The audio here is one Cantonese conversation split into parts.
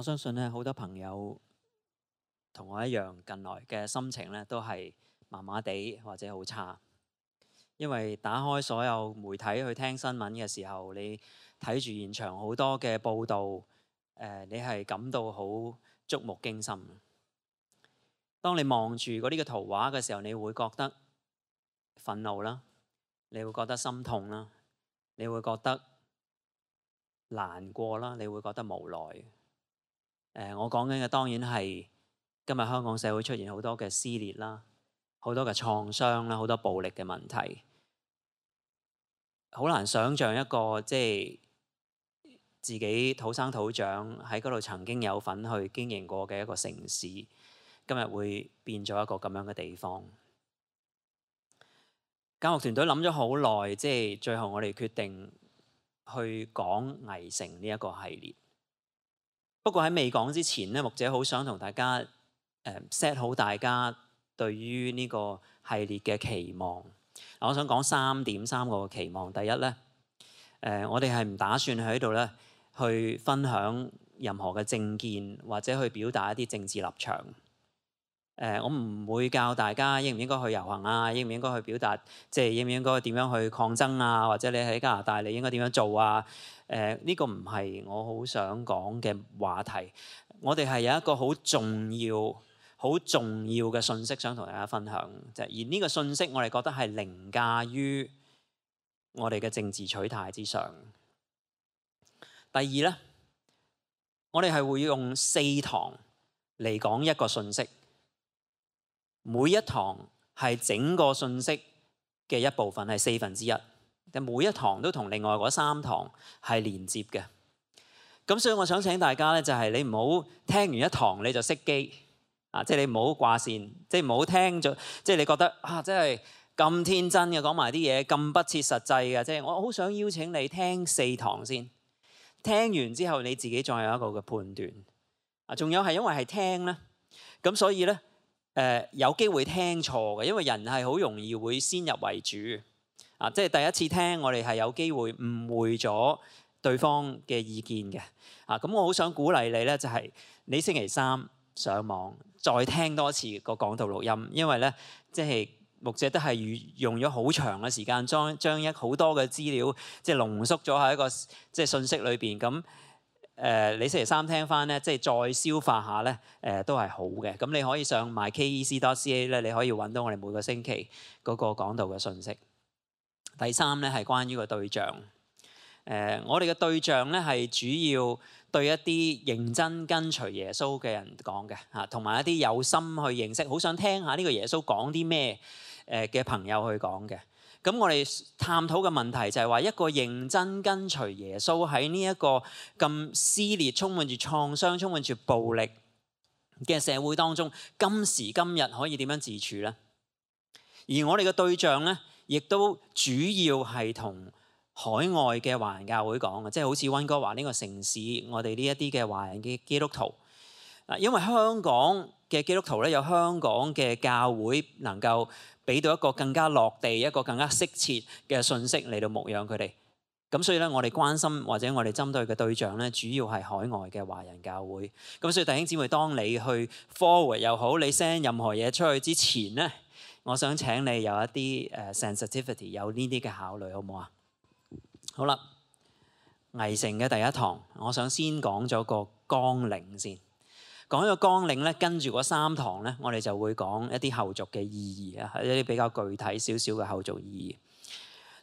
我相信咧，好多朋友同我一樣，近來嘅心情咧都係麻麻地或者好差，因為打開所有媒體去聽新聞嘅時候，你睇住現場好多嘅報導，你係感到好觸目驚心。當你望住嗰啲嘅圖畫嘅時候，你會覺得憤怒啦，你會覺得心痛啦，你會覺得難過啦，你會覺得無奈。我講緊嘅當然係今日香港社會出現好多嘅撕裂啦，好多嘅創傷啦，好多暴力嘅問題，好難想像一個即係自己土生土長喺嗰度曾經有份去經營過嘅一個城市，今日會變咗一個咁樣嘅地方。教育團隊諗咗好耐，即係最後我哋決定去講危城呢一個系列。不過喺未講之前咧，牧者好想同大家set 好大家對於呢個系列嘅期望。我想講3個期望。第一咧，我哋係唔打算喺度咧去分享任何嘅政見或者去表達一啲政治立場。我唔會教大家應唔應該去遊行啊，應唔應該去表達，即係應唔應該點樣去抗爭啊，或者你喺加拿大你應該點樣做啊？呢個唔係我好想講嘅話題。我哋係有一個好重要嘅信息想同大家分享，而呢個信息我哋覺得係凌駕於我哋嘅政治取態之上。第二咧，我哋係會用4堂嚟講一個信息。每一堂係整個信息嘅一部分，係1/4。但每一堂都同另外嗰3堂係連接嘅。咁所以我想請大家咧，就係你唔好聽完一堂你就熄機啊！即係你唔好掛線，即係唔好聽咗，即係你覺得啊，真係咁天真嘅講埋啲嘢，咁不切實際嘅。即係我好想邀請你聽4堂先，聽完之後你自己再有一個嘅判斷啊。仲有係因為係聽咧，咁所以咧。有機會聽錯嘅，因為人係好容易會先入為主啊！即係第一次聽，我哋係有機會誤會咗對方嘅意見嘅啊！咁我好想鼓勵你咧，就係你星期3上網再聽多次個講道錄音，因為咧即係牧者都係用咗好長嘅時間將好多嘅資料即係濃縮咗喺一個即係信息裏邊咁。你星期3聽翻咧，即係再消化下咧，都係好嘅。咁你可以上 mykec.ca 咧，你可以揾到我哋每個星期嗰個講道嘅信息。第3咧係關於個對象。我哋嘅對象咧係主要對一啲認真跟隨耶穌嘅人講嘅嚇，同埋一啲有心去認識、好想聽下呢個耶穌講啲咩嘅朋友去講嘅。咁我哋探討嘅問題就係話，一個認真跟隨耶穌喺呢一個咁撕裂、充滿住創傷、充滿住暴力嘅社會當中，今時今日可以點樣自處呢？而我哋嘅對象呢，亦都主要係同海外嘅華人教會講嘅，即係好似溫哥華呢個城市，我哋呢一啲嘅華人嘅基督徒。因為香港嘅基督徒咧，有香港嘅教會能夠俾到一個更加落地、一個更加適切嘅信息嚟到牧養佢哋。咁所以咧，我哋關心或者我哋針對嘅對象咧，主要係海外嘅華人教會。咁所以弟兄姊妹，當你去 forward 又好，你 send 任何嘢出去之前咧，我想請你有一啲sensitivity， 有呢啲嘅考慮，好唔好啊？好啦，危城嘅第一堂，我想先講咗個綱領先。講一個綱領咧，跟住嗰3堂咧，我哋就會講一啲後續嘅意義啊，一啲比較具體少少嘅後續意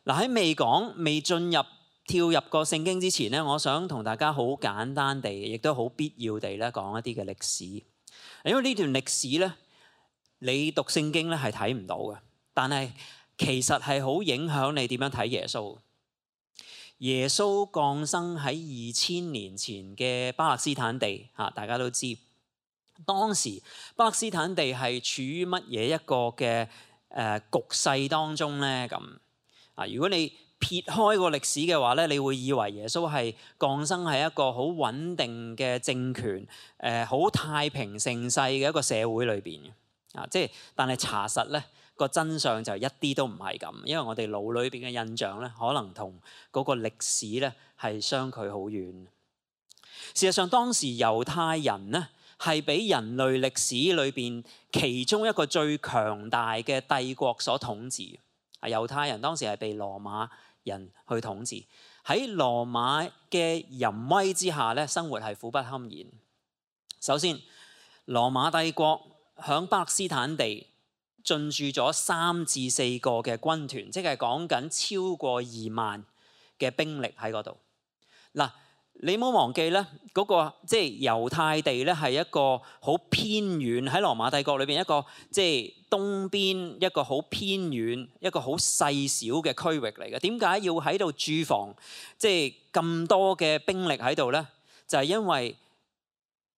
義。嗱，喺未進入跳入個聖經之前咧，我想同大家好簡單地，亦都好必要地咧講一啲嘅歷史。因為呢段歷史咧，你讀聖經咧係睇唔到嘅，但係其實係好影響你點樣睇耶穌。耶穌降生喺2000年前嘅巴勒斯坦地嚇，大家都知。當時巴勒斯坦地係處於乜嘢一個嘅局勢當中咧？咁啊，如果你撇開個歷史嘅話咧，你會以為耶穌係降生喺一個好穩定嘅政權，好太平盛世嘅一個社會裏邊嘅啊。即係，但係查實咧個真相就一啲都唔係咁，因為我哋腦裏邊嘅印象咧，可能同嗰個歷史咧係相距好遠。事實上，當時猶太人呢係俾人類歷史裏邊其中一個最強大嘅帝國所統治。猶太人當時係被羅馬人去統治，喺羅馬嘅淫威之下咧，生活係苦不堪言。首先，羅馬帝國響巴勒斯坦地進駐咗3至4個嘅軍團，即係講緊超過2萬嘅兵力喺嗰度。嗱，你唔好忘記咧，嗰個即係猶太地咧係一個好偏遠，喺羅馬帝國裏邊一個即係東邊一個好偏遠一個好細小嘅區域嚟嘅。點解要喺度駐防即係咁多嘅兵力喺度咧？就係因為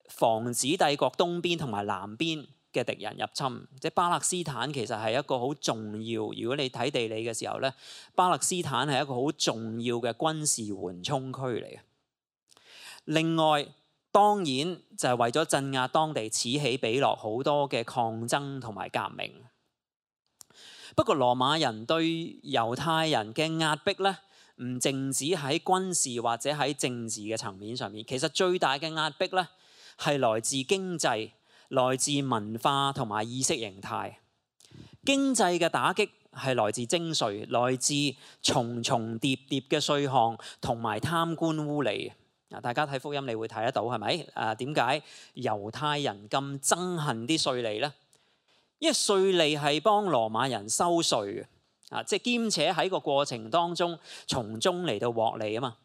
防止帝國東邊同埋南邊嘅敵人入侵。即係巴勒斯坦其實係一個好重要，如果你睇地理嘅時候咧，巴勒斯坦係一個好重要嘅軍事緩衝區嚟嘅。另外，當然就係為咗鎮壓當地此起彼落好多嘅抗爭同埋革命。不過羅馬人對猶太人嘅壓迫咧，唔淨止喺軍事或者喺政治嘅層面上面，其實最大嘅壓迫咧係來自經濟、來自文化同埋意識形態。經濟嘅打擊係來自徵稅，來自重重疊疊嘅稅項同埋貪官污吏。大家睇福音，你會睇得到係咪？點解猶太人咁憎恨啲稅吏呢？因為稅吏係幫羅馬人收稅嘅，即係兼且喺個過程當中從中嚟到獲利啊嘛。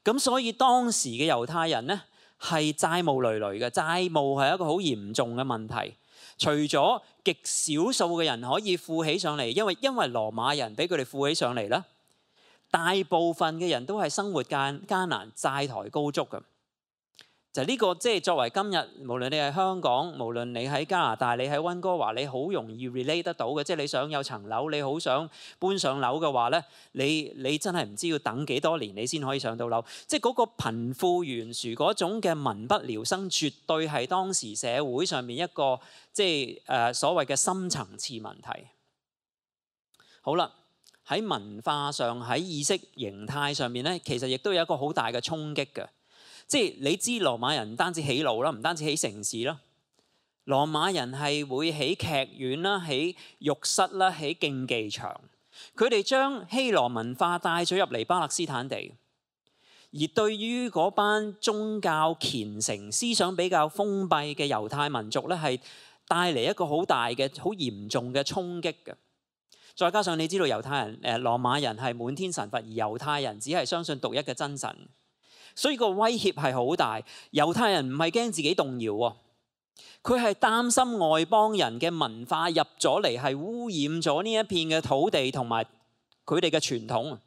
咁所以當時嘅猶太人呢係債務累累嘅，債務係一個好嚴重嘅問題。除咗極少數嘅人可以富起上嚟，因為羅馬人俾佢哋富起上嚟啦。大部分嘅人都係生活艱難、債台高築嘅，就呢個即係作為今日，無論你係香港，無論你喺加拿大，你喺溫哥華，你好容易 relate 得到嘅。即係你想有層樓，你好想搬上樓嘅話咧，你真係唔知要等幾多年你先可以上到樓。即係嗰個貧富懸殊嗰種嘅民不聊生，絕對係當時社會上面一個即係所謂嘅深層次問題。好啦。喺文化上、喺意識形態上面咧，其實亦都有一個好大嘅衝擊嘅。即係你知羅馬人唔單止起路啦，唔單止起城市啦，羅馬人係會起劇院啦、起浴室啦、起競技場。佢哋將希羅文化帶咗入嚟巴勒斯坦地，而對於嗰班宗教虔誠、思想比較封閉嘅猶太民族咧，係帶嚟一個好大嘅、好嚴重嘅衝擊嘅。再加上你知道猶太人、羅馬人係滿天神佛，而猶太人只係相信獨一嘅真神，所以個威脅係好大。猶太人唔係驚自己動搖喎，佢係擔心外邦人嘅文化入咗嚟係污染咗呢一片嘅土地同埋佢哋嘅傳統，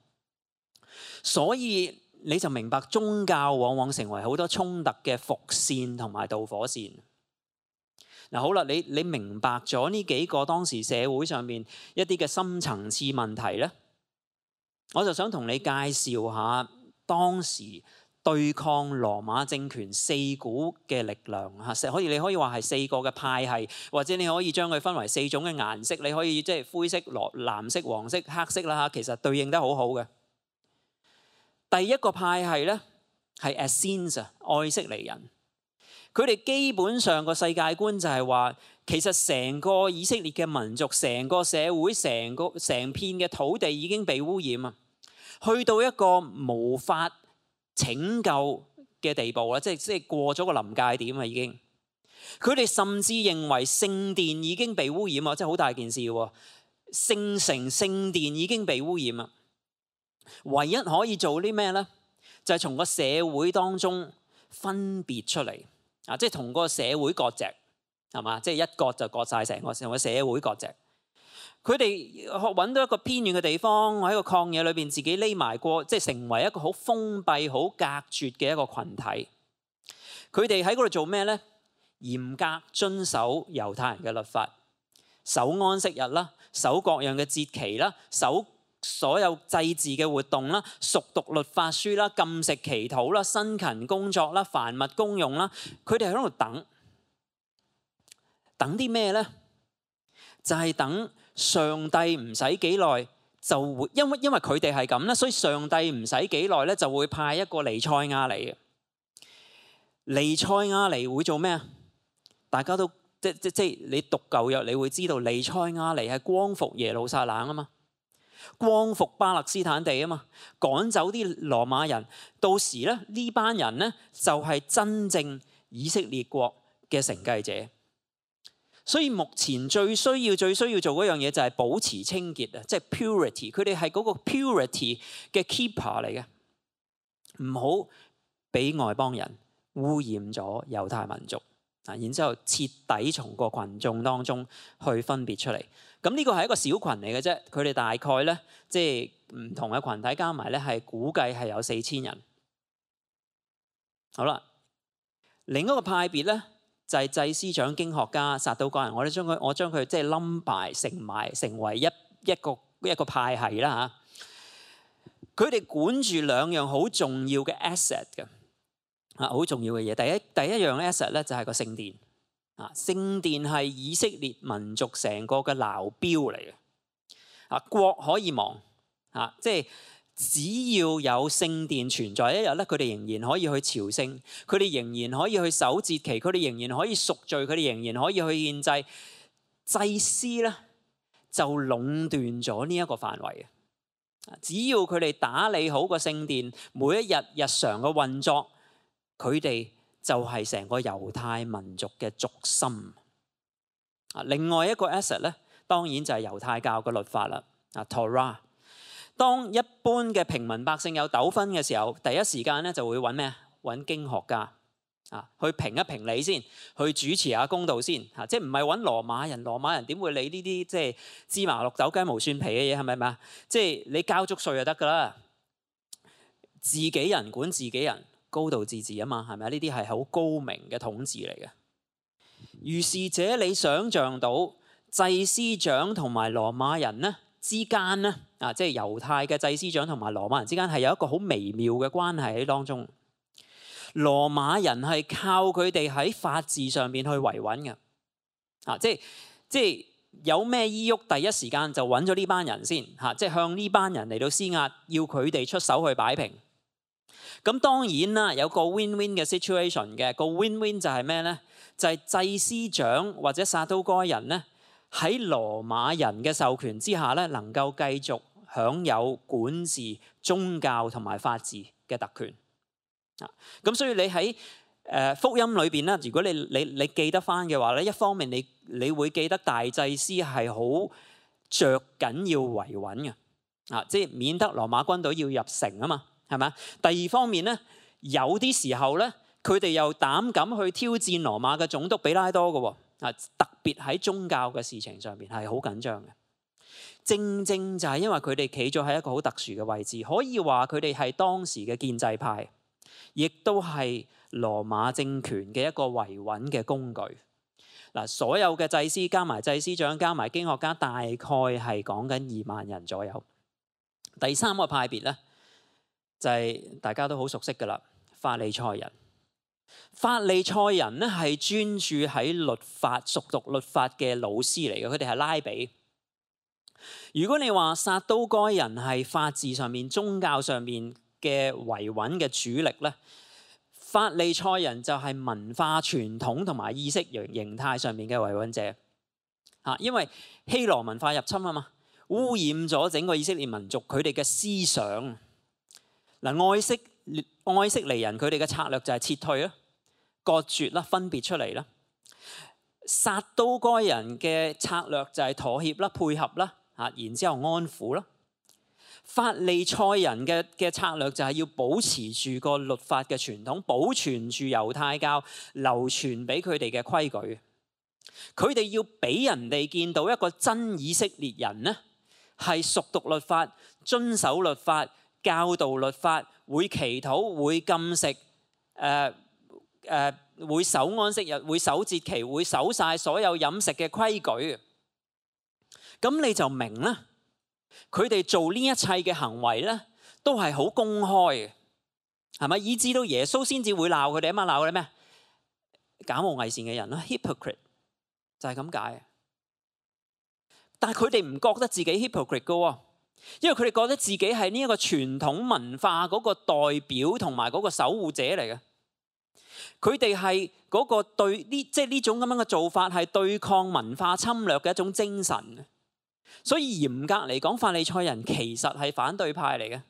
所以你就明白宗教往往成為好多衝突嘅伏線同埋導火線。嗱，好啦，你明白咗呢幾個當時社會上面一啲嘅深層次問題咧，我就想同你介紹下當時對抗羅馬政權4股嘅力量嚇。你可以話係4個嘅派系，或者你可以將佢分為4種嘅顏色。你可以即係灰色、藍色、黃色、黑色啦嚇，其實對應得好好嘅。第一個派系咧係 Essenes 愛色尼人。佢哋基本上個世界觀就係話，其實成個以色列嘅民族、成個社會、成片嘅土地已經被污染啊，去到一個無法拯救嘅地步啦，即係過咗個臨界點啊已經。佢哋甚至認為聖殿已經被污染啊，即係好大件事喎。聖城、聖殿已經被污染啊，唯一可以做啲咩咧？就係從個社會當中分別出嚟。即係同個社會割席，係嘛？即係一割就割晒成個社會割席。佢哋揾到一個偏遠嘅地方，喺個曠野裏邊自己匿埋過，即係成為一個好封閉、好隔絕嘅一個群體。佢哋喺嗰度做咩咧？嚴格遵守猶太人嘅律法，守安息日啦，守各樣嘅節期啦，守所有祭祀嘅活動啦，熟讀律法書啦，禁食祈禱啦，辛勤工作啦，凡物公用啦。佢哋喺度等啲咩咧？就係等上帝唔使幾耐就會，因為佢哋係咁啦，所以上帝唔使幾耐咧就會派一個彌賽亞嚟嘅。彌賽亞嚟會做咩啊？大家都即你讀舊約，你會知道彌賽亞嚟係光復耶路撒冷啊嘛，光復巴勒斯坦地啊嘛，趕走啲羅馬人。到時咧，呢班人咧就係真正以色列國嘅承繼者。所以目前最需要做嗰樣嘢就係保持清潔啊，即係 purity。佢哋係嗰個 purity 嘅 keeper 嚟嘅，唔好俾外邦人污染咗猶太民族啊，然之後徹底從個群眾當中去分別出嚟。咁呢個係一個小群嚟嘅啫，佢哋大概咧即係唔同嘅群體加埋咧係估計係有4000人。好啦，另一個派別咧就係祭司長、經學家、撒都該人。我將佢即係冧埋成為一個派系啦嚇。佢哋管住2樣好重要嘅 asset 嘅啊，好重要嘅嘢。第一樣 asset 咧就係個聖殿啊，聖殿係以色列民族成個嘅鬧標嚟嘅啊。國可以亡啊，即係只要有聖殿存在一日咧，佢哋仍然可以去朝聖，佢哋仍然可以去守節期，佢哋仍然可以贖罪，佢哋仍然可以去獻祭。祭司咧就壟斷咗呢一個範圍嘅。只要佢哋打理好個聖殿，每一日日常嘅運作，佢哋就係成個猶太民族嘅軸心。另外一個 asset 咧，當然就係猶太教嘅律法啦。Torah。當一般嘅平民百姓有糾紛嘅時候，第一時間咧就會揾咩？揾經學家去評一評理先，去主持下公道先即係唔係揾羅馬人？羅馬人點會理呢啲即係芝麻綠豆雞毛蒜皮嘅嘢？係咪啊？即係你交足稅就得㗎啦。自己人管自己人，高度自治啊嘛，係咪啊？呢啲係好高明嘅統治嚟嘅。如是者，你想像到祭司長同埋羅馬人咧之間咧即係猶太嘅祭司長同埋羅馬人之間係有一個好微妙嘅關係喺當中。羅馬人係靠佢哋喺法治上面去維穩嘅即係有咩依喐，第一時間就揾咗呢班人先即係向呢班人嚟到施壓，要佢哋出手去擺平。咁當然啦，有個 win-win 嘅 situation 嘅，個 win-win 就係咩咧？就係祭司長或者撒都該人咧，喺羅馬人嘅授權之下咧，能夠繼續享有管治宗教同埋法治嘅特權。咁所以你喺福音裏邊咧，如果你記得翻嘅話咧，一方面你會記得大祭司係好着緊要維穩嘅即係免得羅馬軍隊要入城啊嘛，係咪？第二方面咧，有啲時候咧，佢哋又膽敢去挑戰羅馬嘅總督比拉多嘅特別喺宗教嘅事情上邊係好緊張嘅。正正就係因為佢哋企咗喺一個好特殊嘅位置，可以話佢哋係當時嘅建制派，亦都係羅馬政權嘅一個維穩嘅工具。所有嘅祭司加埋祭司長加埋經學家，大概係講緊2萬人左右。第三個派別咧，就係大家都好熟悉噶啦，法利賽人。法利賽人咧係專注喺律法、熟讀律法嘅老師嚟嘅，佢哋係拉比。如果你話撒都該人係法治上面、宗教上面嘅維穩嘅主力咧，法利賽人就係文化傳統同埋意識形態上面嘅維穩者因為希羅文化入侵啊嘛，污染咗整個以色列民族佢哋嘅思想。愛色尼人佢哋嘅策略就係撤退啦、割絕啦、分別出嚟啦。撒都該人嘅策略就係妥協啦、配合啦然之後安撫啦。法利賽人嘅策略就係要保持住個律法嘅傳統，保存住猶太教流傳俾佢哋嘅規矩。佢哋要俾人哋見到一個真以色列人呢，係熟讀律法、遵守律法、教導律法、會祈禱、會禁食、會守安息日、會守節期、會守晒所有飲食嘅規矩。咁你就明啦。佢哋做呢一切嘅行為咧，都係好公開嘅，係咪？以至到耶穌先至會鬧佢哋啊嘛，鬧佢哋咩？假冒偽善嘅人啦 ，hypocrite 就係咁解。但係佢哋唔覺得自己 hypocrite 噶，因為佢哋覺得自己係呢一個傳統文化嗰個代表同埋嗰個守護者嚟嘅。佢哋係嗰個對呢，即係呢種咁樣嘅做法係對抗文化侵略嘅一種精神。所以嚴格嚟講，法利賽人其實係反對派嚟嘅。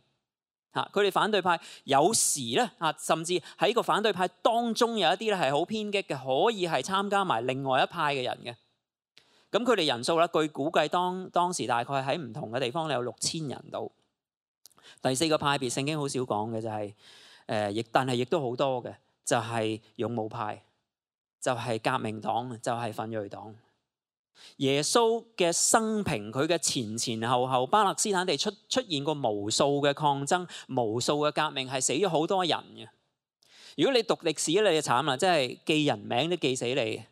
佢哋反對派有時咧甚至喺個反對派當中有一啲咧係好偏激嘅，可以係參加埋另外一派嘅人嘅。咁佢哋人數咧，據估計當時大概喺唔同嘅地方有6000人到。第四個派別聖經好少講嘅就係但係亦都好多嘅，就係勇武派，就係革命黨，就係奮銳黨。耶穌嘅生平，佢嘅前後，巴勒斯坦地出現過無數嘅抗爭，無數嘅革命，係死咗好多人嘅。如果你讀歷史，你就慘啦，即係記人名都記死你。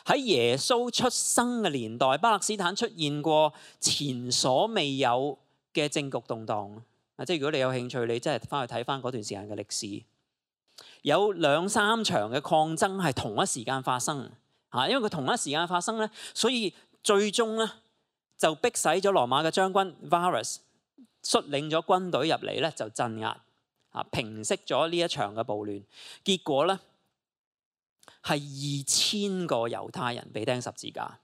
喺耶穌出生嘅年代，巴勒斯坦出現過前所未有嘅政局動盪。即係如果你有興趣，你真係翻去睇翻嗰段時間嘅歷史，有2-3場嘅抗爭係同一時間發生。因為佢同一時間發生咧，所以最終咧就逼使咗羅馬嘅將軍 Varus 率領咗軍隊入嚟咧，就鎮壓平息咗呢一場嘅暴亂。結果咧係2000個猶太人被釘十字架。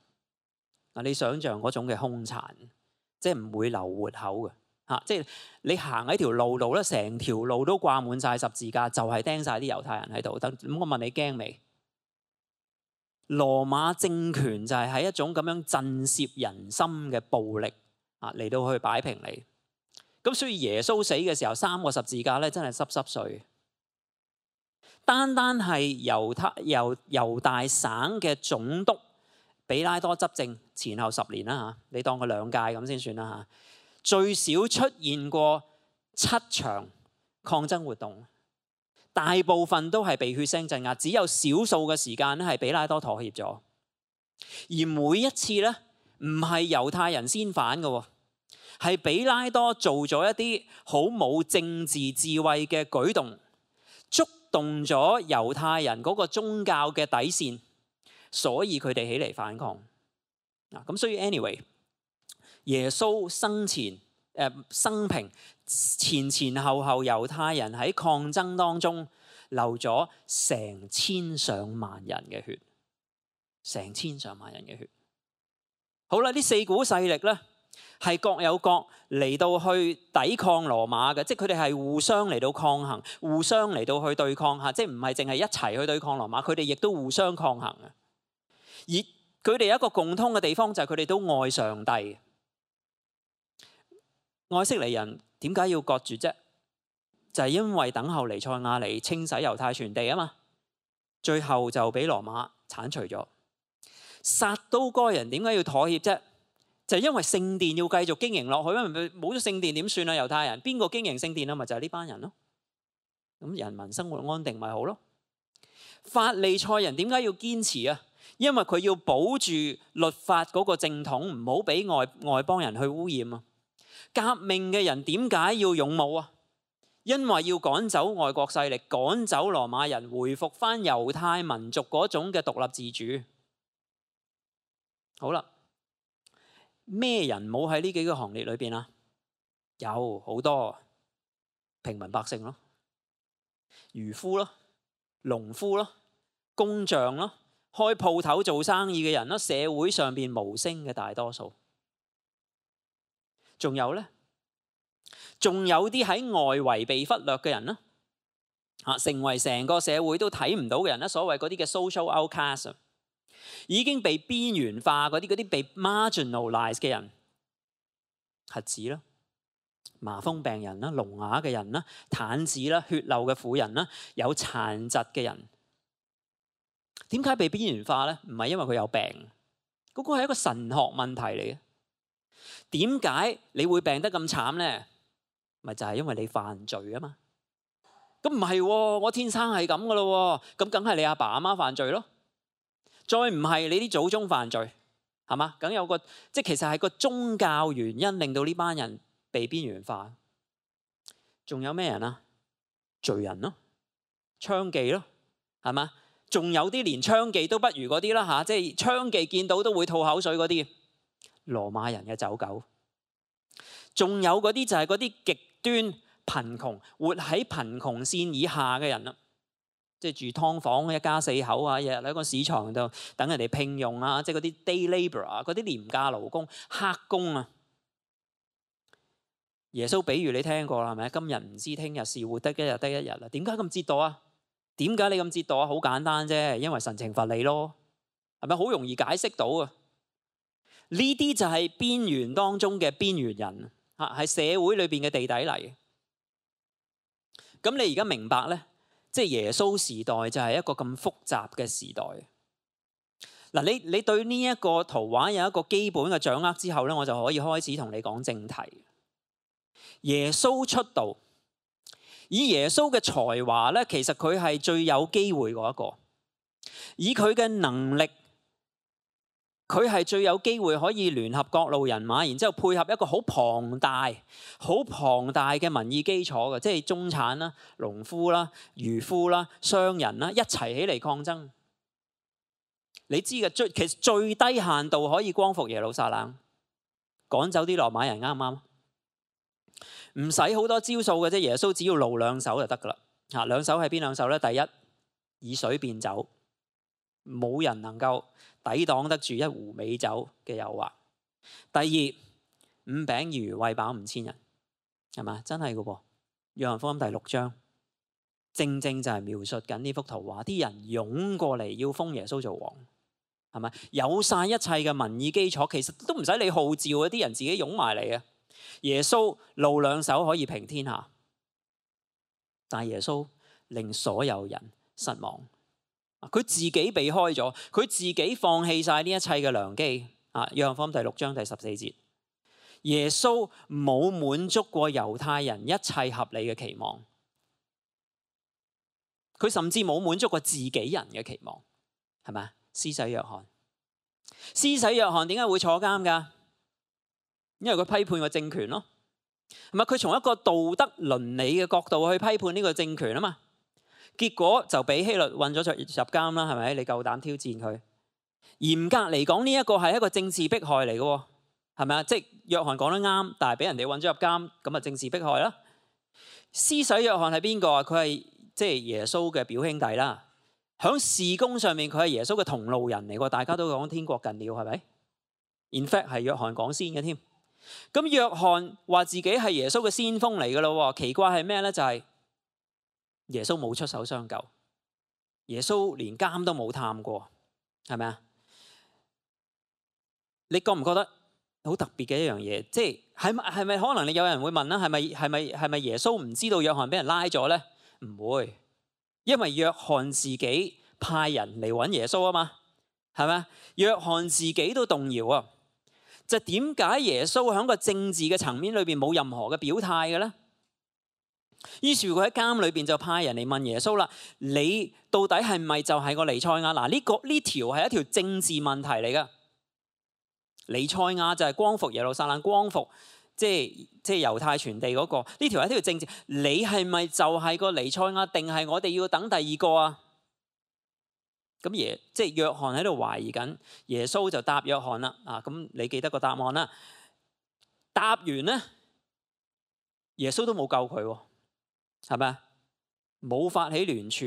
你想象嗰種嘅兇殘，即係唔會留活口嘅。即係你行喺條路度咧，成條路都掛滿晒十字架，就係釘晒啲猶太人喺度。咁我問你驚未？羅馬政權就係喺一種咁樣震懾人心嘅暴力嚟到去擺平你。咁所以耶穌死嘅時候，3個十字架咧真係濕碎。單係猶大省嘅總督比拉多執政前後10年啦，你當佢2屆咁先算啦，最少出現過7場抗爭活動。大部分都係被血腥鎮壓，只有少數嘅時間咧係比拉多妥協咗。而每一次咧，唔係猶太人先反嘅，係比拉多做咗一啲好冇政治智慧嘅舉動，觸動咗猶太人嗰個宗教嘅底線，所以佢哋起嚟反抗。咁所以 anyway， 耶穌生平前後猶太人喺抗爭當中流咗成千上萬人嘅血，成千上萬人嘅血。好啦，呢4股勢力咧係各有各嚟到去抵抗羅馬嘅，即係佢哋係互相嚟到抗衡，互相嚟到去對抗下，即係唔係淨係一齊去對抗羅馬，佢哋亦都互相抗衡嘅。而佢哋有一個共通嘅地方就係佢哋都愛上帝。愛色尼人點解要割絕啫？就係因為等候彌賽亞嚟清洗猶太全地啊嘛，最後就俾羅馬剷除咗。撒都該人點解要妥協啫？就係因為聖殿要繼續經營落去，因為冇咗聖殿點算啊？猶太人邊個經營聖殿啊？咪就係呢班人咯。咁人民生活安定咪好咯。法利賽人點解要堅持啊？因為佢要保住律法嗰個正統，唔好俾外邦人去污染啊。革命嘅人點解要勇武啊？因為要趕走外國勢力，趕走羅馬人，回復翻猶太民族嗰種嘅獨立自主。好啦，咩人冇喺呢幾個行列裏邊啊？有好多平民百姓咯，漁夫咯，農夫咯，工匠咯，開鋪頭做生意嘅人咯，社會上邊無聲嘅大多數。仲有咧，仲有啲喺外圍被忽略嘅人啦，成為成個社會都睇唔到嘅人啦，所謂嗰啲嘅 social outcast， 已經被邊緣化嗰啲被 marginalize 嘅人，瞎子啦、麻風病人啦、聾啞嘅人啦、癱子啦、血漏嘅婦人啦、有殘疾嘅人。點解被邊緣化咧？唔係因為佢有病，嗰個係一個神學問題嚟嘅。點解你會病得咁慘咧？咪就係因為你犯罪啊嘛。咁唔係，我天生係咁噶咯，咁梗係你阿爸阿媽犯罪咯。再唔係你啲祖宗犯罪，係嘛？梗有個，即係其實係個宗教原因令到呢班人被邊緣化。仲有咩人啊？罪人咯，娼妓咯，係嘛？仲有啲連娼妓都不如嗰啲啦嚇，即係娼妓見到都會吐口水嗰啲，羅馬人嘅走狗。仲有嗰啲就係嗰啲極端貧窮，活喺貧窮線以下嘅人啦。即係住劏房一家4口啊，日日喺個市場度等人哋聘用啊，即係嗰啲 day labour 啊，嗰啲廉價勞工、黑工啊。耶穌比喻你聽過啦，係咪？今日唔知聽日事，活得一日得一日啦。點解咁折墮啊？點解你咁折墮啊？好簡單啫，因為神懲罰你咯，係咪？好容易解釋到啊！呢啲就係邊緣當中嘅邊緣人啊，係社會裏邊嘅地底嚟。咁你而家明白咧？即係耶穌時代就係一個咁複雜嘅時代。嗱，你對呢一個圖畫有一個基本嘅掌握之後咧，我就可以開始同你講正題。耶穌出道，以耶穌嘅才華咧，其實佢係最有機會嗰一個。以佢嘅能力，佢係最有機會可以聯合各路人馬，然之後配合一個好龐大嘅民意基礎嘅，即係中產啦、農夫啦、漁夫啦、商人啦，一齊起嚟抗爭。你知嘅，其實最低限度可以光復耶路撒冷，趕走啲羅馬人，啱唔啱？唔使好多招數嘅啫，耶穌只要露兩手就得噶啦。嚇，兩手係邊兩手咧？第一，以水變酒，冇人能夠抵擋得住一壺美酒嘅誘惑。第二，5餅2魚餵飽5000人，係嘛？真係嘅噃。約翰福音第6章，正正就係描述緊呢幅圖畫，啲人湧過嚟要封耶穌做王，係咪？有晒一切嘅民意基礎，其實都唔使你號召啊，啲人自己湧埋嚟啊。耶穌露兩手可以平天下，但係耶穌令所有人失望。佢自己避開咗，佢自己放棄晒呢一切嘅良機。約翰福音第6章第14節，耶穌冇滿足過猶太人一切合理嘅期望，佢甚至冇滿足過自己人嘅期望，係咪？施洗約翰，施洗約翰點解會坐監㗎？因為佢批判個政權咯，係咪？佢從一個道德倫理嘅角度去批判呢個政權啊嘛，結果就俾希律韞咗入監啦，係咪？你夠膽挑戰佢？嚴格嚟講，呢一個係一個政治迫害嚟嘅，係咪啊？即係約翰講得啱，但係俾人哋韞咗入監，咁啊政治迫害啦。施洗約翰係邊個啊？佢係即係耶穌嘅表兄弟啦。響事工上面，佢係耶穌嘅同路人嚟嘅，大家都講天國近了，係咪 ？In fact 係約翰講先嘅添。咁約翰話自己係耶穌嘅先鋒嚟嘅咯，奇怪係咩咧？就係耶穌冇出手相救，耶穌連監都冇探過，係咪啊？你覺唔覺得好特別嘅一樣嘢？即係係咪可能你有人會問啦？係咪耶穌唔知道約翰俾人拉咗咧？唔會，因為約翰自己派人嚟揾耶穌啊嘛，係咪啊？約翰自己都動搖啊！就點解耶穌喺個政治嘅層面裏邊冇任何嘅表態嘅咧？於是佢喺監裏邊就派人嚟問耶穌啦：你到底係咪就係個彌賽亞？嗱，呢條係一條政治問題嚟噶。彌賽亞就係光復耶路撒冷、光復即係猶太傳地嗰個。呢條係一條政治，你係咪就係個彌賽亞，定係我哋要等第二個啊？咁即係約翰喺度懷疑緊，耶穌就答約翰啦。咁你記得個答案啦。答完咧，耶穌都冇救佢，係咪啊？冇發起聯署，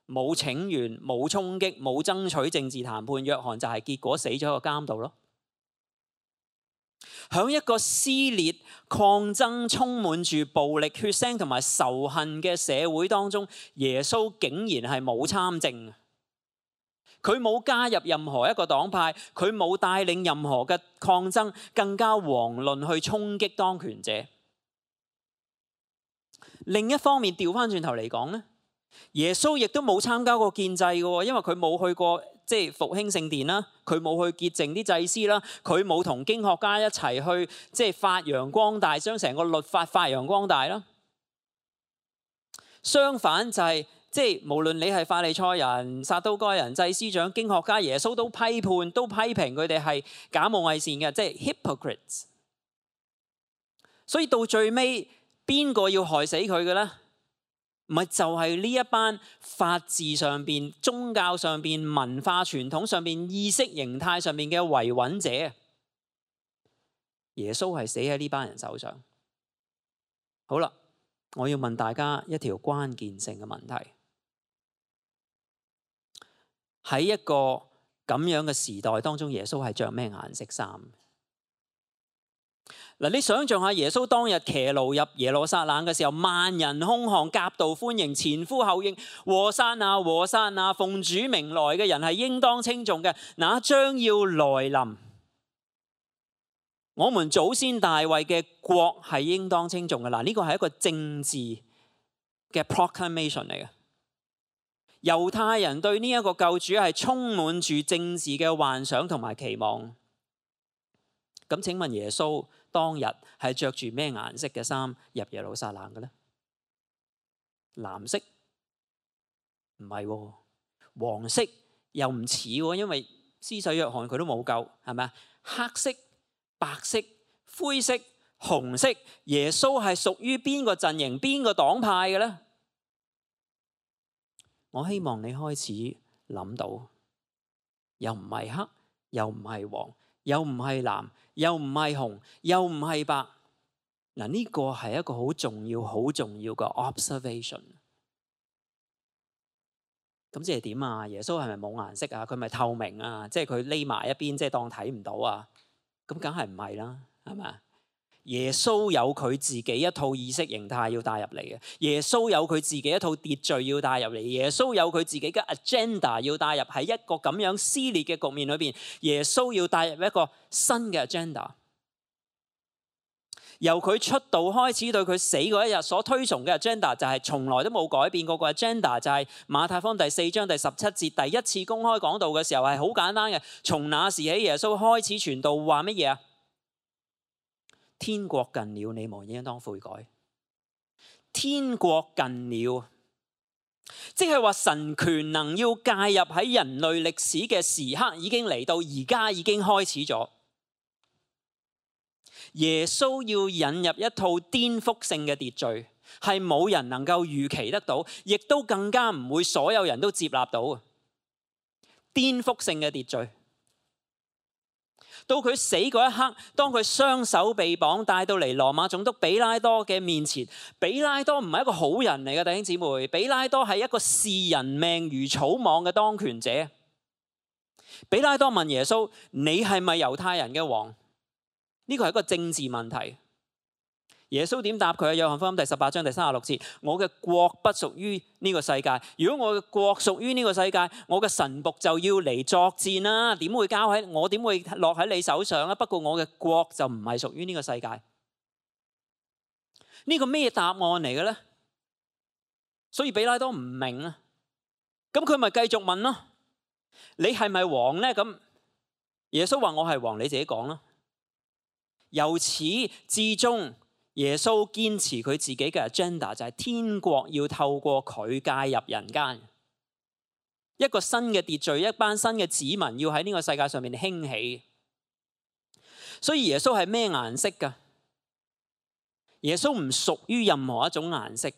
冇請願，冇衝擊，冇爭取政治談判。約翰就係結果死咗喺個監度咯。喺一個撕裂、抗爭、充滿住暴力、血腥同埋仇恨嘅社會當中，耶穌竟然係冇參政。佢冇加入任何一個黨派，佢冇帶領任何嘅抗爭，更加遑論去衝擊當權者。另一方面，調翻轉頭嚟講咧，耶穌亦都冇參加過獻祭嘅，因為佢冇去過即係復興聖殿啦，佢冇去潔淨啲祭司啦，佢冇同經學家一齊去即係發揚光大，將成個律法發揚光大啦。相反就係即係無論你係法利賽人、撒都該人、祭司長、經學家，耶穌都批判、都批評佢哋係假冒偽善嘅，即係 hypocrites。所以到最尾，邊個要害死佢嘅咧？唔係就係呢一班法治上邊、宗教上邊、文化傳統上邊、意識形態上邊嘅維穩者。耶穌係死喺呢班人手上。好啦，我要問大家一條關鍵性嘅問題。喺一個咁樣嘅時代當中，耶穌係着咩顏色衫？嗱，你想象下耶穌當日騎驢入耶路撒冷嘅時候，萬人空巷，夾道歡迎，前呼後應，和散那，和散那，奉主名來嘅人係應當稱頌嘅，那將要來臨，我們祖先大衛嘅國係應當稱頌嘅。嗱，呢個係一個政治嘅 proclamation 嚟嘅。猶太人對呢一個救主係充滿住政治嘅幻想同埋期望。咁請問耶穌當日係着住咩顏色嘅衫入耶路撒冷嘅呢？藍色？唔係喎，黃色又唔似喎，因為施洗約翰佢都冇救，係咪啊？黑色、白色、灰色、紅色，耶穌係屬於邊個陣營、邊個黨派嘅呢？我希望你開始諗到，又唔係黑，又唔係黃，又唔係藍，又唔係紅，又唔係白。嗱，呢個係一個好重要、好重要嘅 observation。咁即係點啊？耶穌係咪冇顏色啊？佢咪透明啊？即係佢匿埋一邊，即係當睇唔到啊？咁梗係唔係啦，係咪啊？耶穌有佢自己一套意識形態要帶入嚟嘅，耶穌有佢自己一套秩序要帶入嚟，耶穌有佢自己嘅 agenda 要帶入，喺一個咁樣撕裂嘅局面裏邊，耶穌要帶入一個新嘅 agenda。由佢出道開始，對佢死嗰一日所推崇嘅 agenda 就係從來都冇改變過。個 agenda 就係馬太福音第4章第17節第一次公開講道嘅時候係好簡單嘅，從那時起耶穌開始傳道，話乜嘢啊？天國近了，你們應當悔改。天國近了，即係話神權能要介入喺人類歷史嘅時刻已經嚟到，而家已經開始咗。耶穌要引入一套顛覆性嘅秩序，係冇人能夠預期得到，亦都更加唔會所有人都接納到。顛覆性嘅秩序。到佢死嗰一刻，當佢雙手被綁帶到嚟羅馬總督比拉多嘅面前，比拉多唔係一個好人嚟嘅，弟兄姊妹，比拉多係一個視人命如草莽嘅當權者。比拉多問耶穌：你係咪猶太人嘅王？呢個係一個政治問題。耶穌點答佢啊？約翰福音第18章第36節：我嘅國不屬於呢個世界。如果我嘅國屬於呢個世界，我嘅臣僕就要嚟作戰啦。點會交喺我？點會落喺你手上啊？不過我嘅國就唔係屬於呢個世界。呢個咩答案嚟嘅咧？所以比拉多唔明啊。咁佢咪繼續問咯？你係咪王咧？咁耶穌話我係王，你自己講咯。由始至終，耶穌堅持佢自己嘅 agenda， 就係天國要透過佢介入人間，一個新嘅秩序，一班新嘅子民要喺呢個世界上面興起。所以耶穌係咩顏色㗎？耶穌唔屬於任何一種顏色，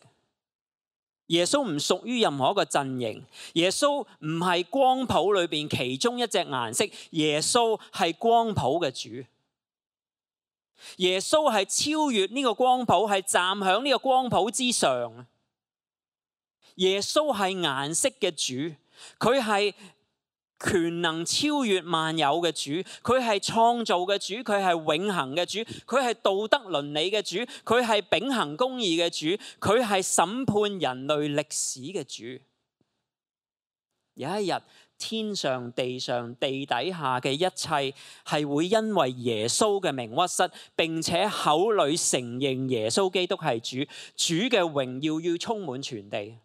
耶穌唔屬於任何一個陣營，耶穌唔係光譜裏邊其中一隻顏色，耶穌係光譜嘅主。耶穌係超越呢個光譜，係站喺呢個光譜之上。耶穌係顏色嘅主，佢係權能超越萬有嘅主，佢係創造嘅主，佢係永恆嘅主，佢係道德倫理嘅主，佢係秉行公義嘅主，佢係審判人類歷史嘅主。有一日，天上地上地底下嘅一切係會因為耶穌嘅名屈膝，並且口裏承認耶穌基督係主，主嘅榮耀要充滿全地。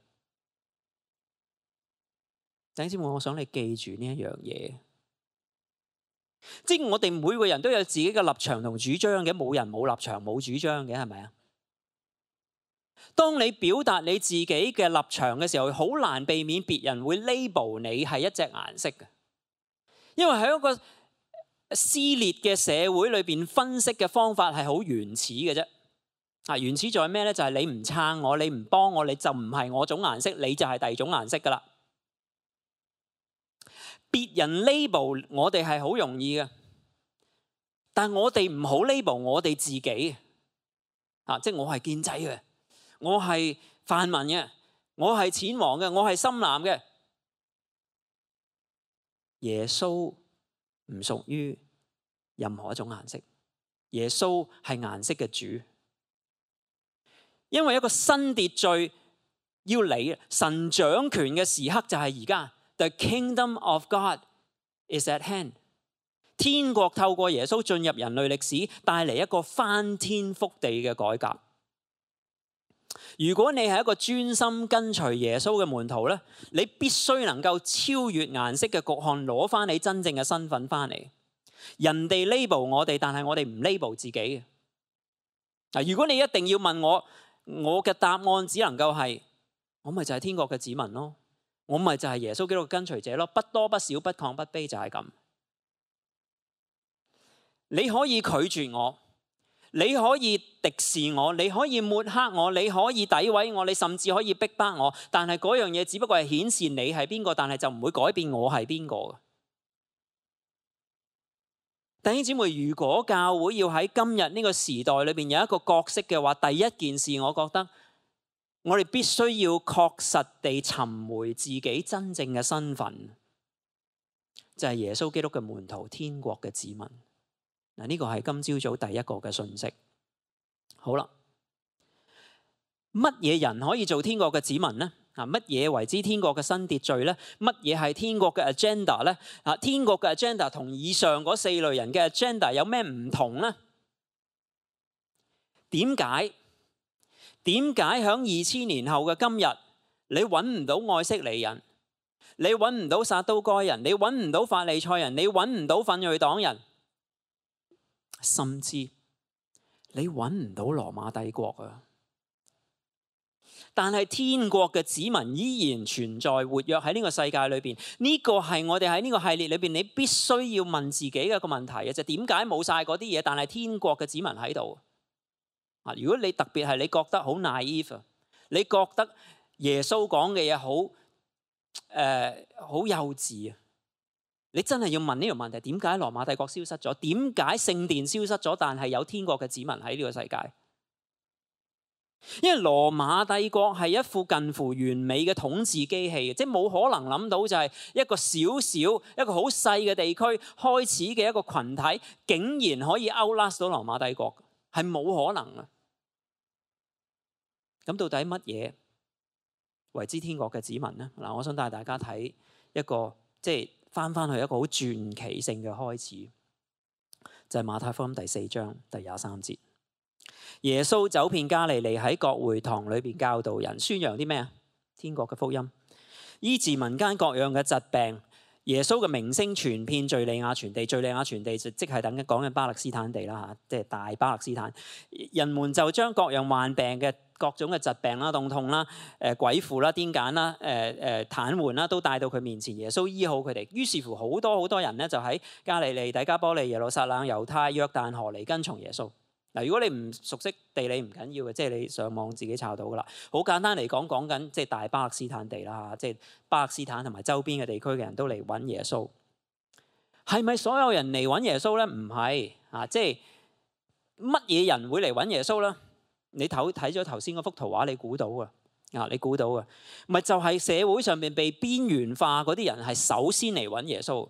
弟兄姊妹，我想你記住呢一樣嘢，即係我哋每個人都有自己嘅立場同主張嘅，冇人冇立場冇主張嘅，係咪啊？當你表達你自己嘅立場嘅時候，好難避免別人會 label 你係一隻顏色嘅，因為喺一個撕裂嘅社會裏邊，分析嘅方法係好原始嘅啫。啊，原始在咩呢？就係你唔撐我，你唔幫我，你就唔係我種顏色，你就係第二種顏色噶啦。別人 label 我哋係好容易嘅，但我哋唔好 label 我哋自己。啊，即係我係建制嘅，我係泛民嘅，我係淺黃嘅，我係深藍嘅。耶穌唔屬於任何一種顏色，耶穌係顏色嘅主。因為一個新秩序要嚟，神掌權嘅時刻就係而家。The kingdom of God is at hand。天國透過耶穌進入人類歷史，帶嚟一個翻天覆地嘅改革。如果你係一個專心跟隨耶穌嘅門徒咧，你必須能夠超越顏色嘅局限，攞翻你真正嘅身份翻嚟。人哋 label 我哋，但係我哋唔 label 自己嘅。嗱，如果你一定要問我，我嘅答案只能夠係，我咪就係天國嘅子民咯，我咪就係耶穌基督嘅跟隨者咯，不多不少，不亢不卑，就係咁。你可以拒絕我，你可以敵視我，你可以抹黑我，你可以詆毀我，你甚至可以逼迫我，但係嗰樣嘢只不過係顯示你係邊個，但係就唔會改變我係邊個。弟兄姊妹，如果教會要喺今日呢個時代裏邊有一個角色嘅話，第一件事我覺得我哋必須要確實地尋回自己真正嘅身份，就係耶穌基督嘅門徒，天國嘅子民。嗱，呢個係今朝早第一個嘅信息。好啦，乜嘢人可以做天國嘅子民呢？乜嘢為之天國嘅新秩序呢？乜嘢係天國嘅 agenda 呢？天國嘅 agenda 同以上嗰四類人嘅 agenda 有咩唔同呢？點解響2000年後嘅今日，你揾唔到愛色尼人，你揾唔到撒都該人，你揾唔到法利賽人，你揾唔到奮銳黨人，甚至你揾唔到羅馬帝國啊！但係天國嘅子民依然存在活躍喺呢個世界裏邊，呢個係我哋喺呢個系列裏邊你必須要問自己嘅一個問題嘅，就點解冇晒嗰啲嘢，但係天國嘅子民喺度啊？如果你特別係你覺得好 naive， 你覺得耶穌講嘅嘢好幼稚啊，你真係要問呢個問題：點解羅馬帝國消失咗？點解聖殿消失咗？但係有天國嘅子民喺呢個世界？因為羅馬帝國係一副近乎完美嘅統治機器，即係冇可能諗到就係一個小小一個好細嘅地區開始嘅一個群體，竟然可以 outlast 到羅馬帝國，係冇可能啊！咁到底乜嘢為之天國嘅子民呢？嗱，我想帶大家睇一個即係翻去一個好傳奇性嘅開始，就係馬太福音第4章第23節。耶穌走遍加利利，喺各會堂裏邊教導人，宣揚啲咩啊？天國嘅福音，醫治民間各樣嘅疾病。耶穌嘅名聲傳遍敘利亞全地，敘利亞全地就即係等緊講緊巴勒斯坦地啦嚇，即係大巴勒斯坦。人們就將各樣患病嘅各種嘅疾病啦、疼痛啦、鬼附啦、癲癇啦、癱瘓啦，都帶到佢面前。耶穌醫好佢哋。於是乎好多人咧就喺加利利、底加波利、耶路撒冷、猶太、約旦河嚟跟從耶穌。嗱，如果你唔熟悉地理唔緊要嘅，即係你上網自己查到噶啦。好簡單嚟講，講緊即係大巴勒斯坦地啦，即係巴勒斯坦同埋周邊嘅地區嘅人都嚟揾耶穌。係咪所有人嚟揾耶穌咧？唔係啊，即係乜嘢人會嚟揾耶穌咧？你睇咗頭先嗰幅圖畫，你估到啊？你估到啊？咪就係社會上面被邊緣化嗰啲人係首先嚟揾耶穌，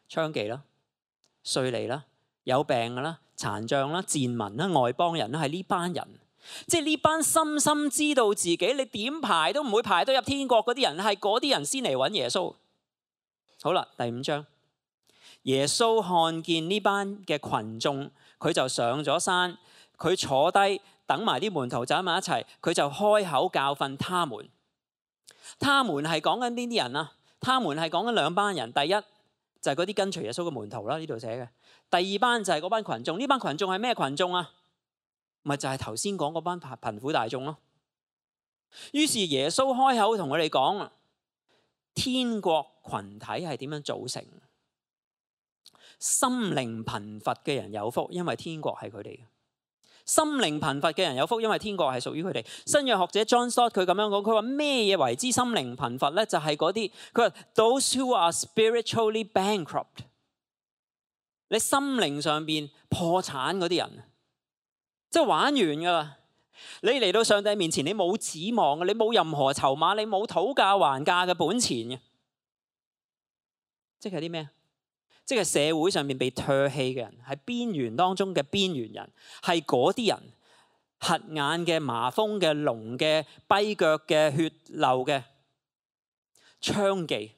娼妓啦、稅吏啦、有病嘅啦、殘障啦、賤民啦、外邦人啦，係呢班人，即係呢班深深知道自己你點排都唔會排到入天國嗰啲人，係嗰啲人先嚟揾耶穌。好啦，第5章，耶穌看見呢班嘅群眾，佢就上咗山，佢坐低等埋啲門徒走埋一齊，佢就開口教訓他們。他們係講緊邊啲人啊？他們係講緊兩班人，第一就係嗰啲跟隨耶穌嘅門徒啦，呢度寫嘅。第二班就係嗰班群眾，呢班群眾係咩群眾啊？咪就係頭先講嗰班貧苦大眾咯。於是耶穌開口同佢哋講，天國群體係點樣組成？心靈貧乏嘅人有福，因為天國係佢哋嘅。心靈貧乏嘅人有福，因為天國係屬於佢哋。新約學者 John Stott 佢咁樣講，佢話咩嘢為之心靈貧乏咧？就係嗰啲，佢話 those who are spiritually bankrupt。你心靈上邊破產嗰啲人，即係玩完噶啦。你嚟到上帝面前，你冇指望嘅，你冇任何籌碼，你冇討價還價嘅本錢嘅。即係啲咩？即係社會上面被唾棄嘅人，係邊緣當中嘅邊緣人，係嗰啲人，瞎眼嘅、麻風嘅、聾嘅、跛腳嘅、血漏嘅、娼妓。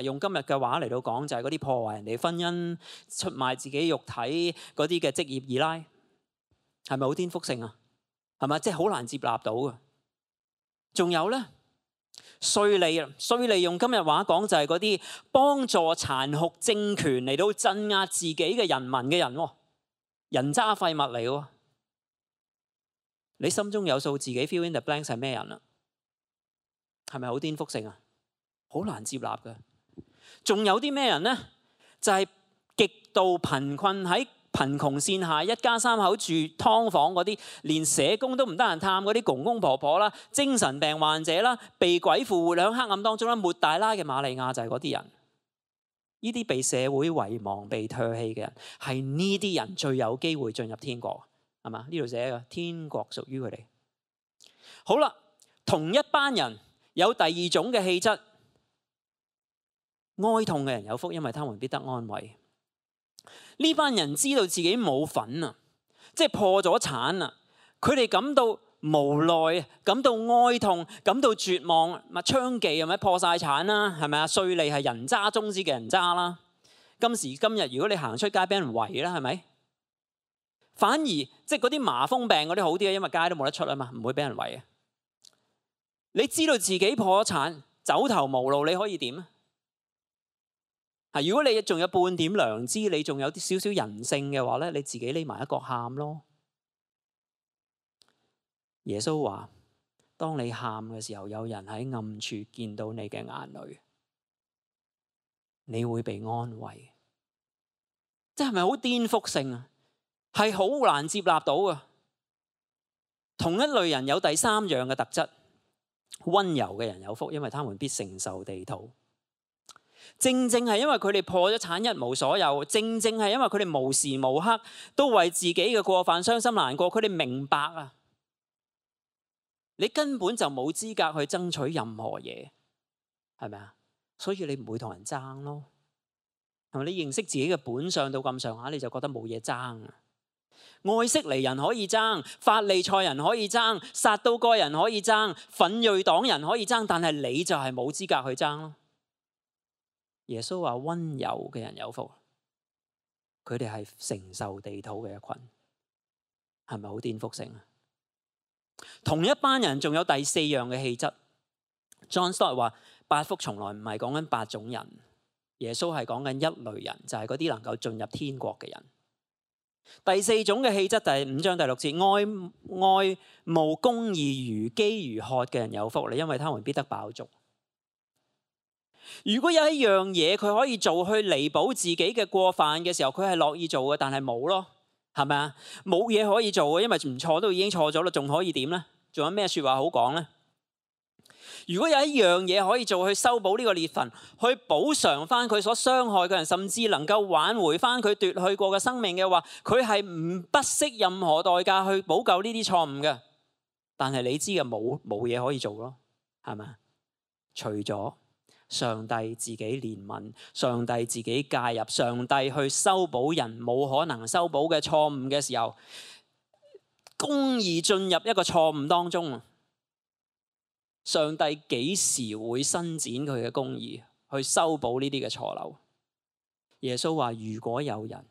用今日嘅話嚟到講，就係嗰啲破壞人哋婚姻、出賣自己肉體嗰啲嘅職業二奶，係咪好顛覆性啊？係咪？即係好難接納到嘅。仲有咧，稅吏啊，稅吏用今日話講就係嗰啲幫助殘酷政權嚟到鎮壓自己嘅人民嘅人，人渣廢物嚟嘅。你心中有數，自己 fill in the blanks 係咩人啊？係咪好顛覆性啊？好難接納嘅。仲有啲咩人呢？就係極度貧困，喺貧窮線下，一家三口住劏房嗰啲，連社工都唔得閒探嗰啲公公婆婆啦，精神病患者啦，被鬼附活喺黑暗當中啦，抹大拉嘅瑪利亞就係嗰啲人。呢啲被社會遺忘、被唾棄嘅人，係呢啲人最有機會進入天國，係嘛？呢度寫嘅天國屬於佢哋。好啦，同一班人有第二種嘅氣質。哀痛嘅人有福，因為他們必得安慰。呢班人知道自己冇份啊，即係破咗產啊，佢哋感到無奈，感到哀痛，感到絕望。咪娼妓係咪破晒產啦？係咪啊？稅吏係人渣中之嘅人渣啦。今時今日，如果你行出街俾人圍啦，係咪？反而即係嗰啲麻風病嗰啲好啲啊，因為街都冇得出啊嘛，唔會俾人圍啊。你知道自己破咗產，走投無路，你可以點啊？如果你仲有半點良知，你仲有啲少少人性嘅話咧，你自己匿埋一角喊咯。耶穌話：當你喊嘅時候，有人喺暗處見到你嘅眼淚，你會被安慰。即係咪好顛覆性啊？係好難接納到啊！同一類人有第三樣嘅特質，溫柔嘅人有福，因為他們必承受地土。正正係因為佢哋破咗產一無所有，正正係因為佢哋無時無刻都為自己嘅過犯傷心難過，佢哋明白啊，你根本就冇資格去爭取任何嘢，係咪啊？所以你唔會同人爭咯，係咪？你認識自己嘅本相到咁上下，你就覺得冇嘢爭啊。愛色尼人可以爭，法利賽人可以爭，撒都該人可以爭，奮銳黨人可以爭，但係你就係冇資格去爭咯。耶穌話溫柔嘅人有福，佢哋係承受地土嘅一群，係咪好顛覆性啊？同一班人仲有第四樣嘅氣質。John Stott 話八福從來唔係講緊八種人，耶穌係講緊一類人，就係嗰啲能夠進入天國嘅人。第四種嘅氣質，第5章第6節，愛慕公義如飢如渴嘅人有福，因為他們必得飽足。如果有一樣嘢佢可以做去彌補自己嘅過犯嘅時候，佢係樂意做嘅，但係冇咯，係咪啊？冇嘢可以做嘅，因為唔錯都已經錯咗啦，仲可以點呢？仲有咩說話好講呢？如果有一樣嘢可以做去修補呢個裂痕，去補償翻佢所傷害嘅人，甚至能夠挽回翻佢奪去過嘅生命嘅話，佢係唔不惜任何代價去補救呢啲錯誤嘅。但係你知嘅，冇嘢可以做咯，係咪？除咗上帝自己憐憫，上帝自己介入，上帝去修補人冇可能修補嘅錯誤嘅時候，公義進入一個錯誤當中，上帝幾時會伸展佢嘅公義去修補呢啲嘅錯漏？耶穌話：如果有人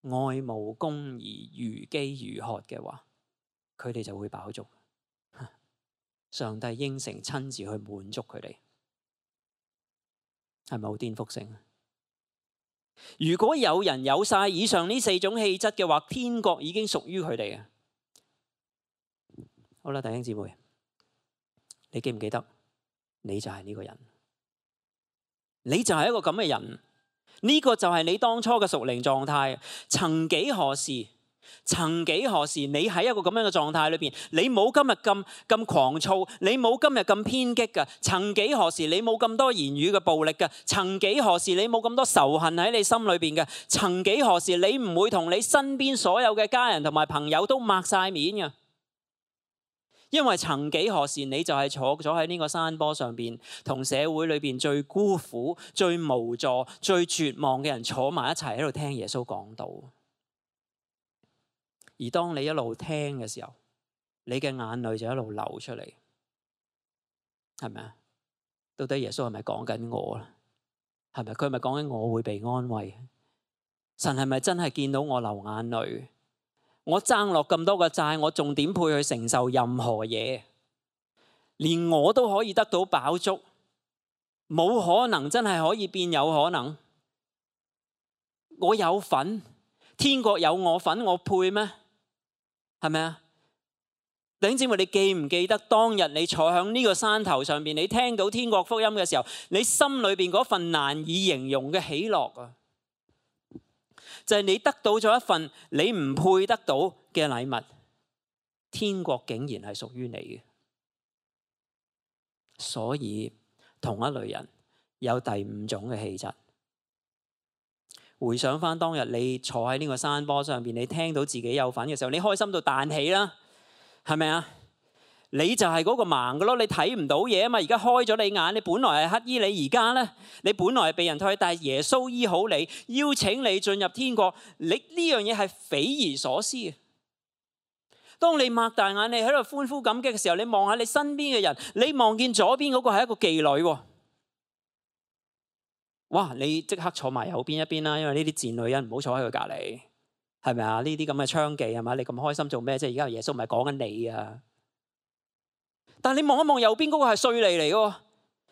愛慕公義如飢如渴嘅話，佢哋就會飽足。上帝應承親自去滿足佢哋，係咪好顛覆性？如果有人有晒以上呢4種氣質嘅話，天國已經屬於佢哋嘅。好啦，弟兄姊妹，你記唔記得？你就係呢個人，你就係一個咁嘅人。呢個就係你當初嘅屬靈狀態。曾幾何時，你喺一個咁樣嘅狀態裏邊，你冇今日咁狂躁，你冇今日咁偏激嘅。曾幾何時，你冇咁多言語嘅暴力嘅。曾幾何時，你冇咁多仇恨喺你心裏邊嘅。曾幾何時，你唔會同你身邊所有嘅家人同埋朋友都擘晒面嘅。因為曾幾何時你就係坐咗喺呢個山坡上邊，同社會裏邊最孤苦、最無助、最絕望嘅人坐埋一齊喺度聽耶穌講道。而當你一路聽嘅時候，你嘅眼淚就一路流出嚟，係咪啊？到底耶穌係咪講緊我啦？係咪佢係咪講緊我會被安慰？神係咪真係見到我流眼淚？我爭落咁多個債，我仲點配去承受任何嘢？連我都可以得到飽足，冇可能真係可以變有可能？我有份，天國有我份，我配咩？係咪啊？弟兄姊妹，你記唔記得當日你坐喺呢個山頭上邊，你聽到天國福音嘅時候，你心裏邊嗰份難以形容嘅喜樂啊！就係你得到咗一份你唔配得到嘅禮物，天國竟然係屬於你嘅。所以同一類人有第五種嘅氣質。回想翻當日你坐喺呢個山坡上邊，你聽到自己有份嘅時候，你開心到彈起啦，係咪啊？你就係嗰個盲嘅咯，你睇唔到嘢啊嘛。而家開咗你眼，你本來係乞兒，你而家咧，你本來係被人退，但係耶穌醫好你，邀請你進入天國。你呢樣嘢係匪夷所思嘅。當你擘大眼，你喺度歡呼感激嘅時候，你望下你身邊嘅人，你望見左邊嗰個係一個妓女喎。哇！你即刻坐埋右邊一邊啦，因為呢啲賤女人唔好坐喺佢隔離，係咪啊？呢啲咁嘅娼妓係嘛？你咁開心做咩啫？而家耶穌唔係講緊你啊！但係你望一望右邊嗰個係稅吏嚟嘅，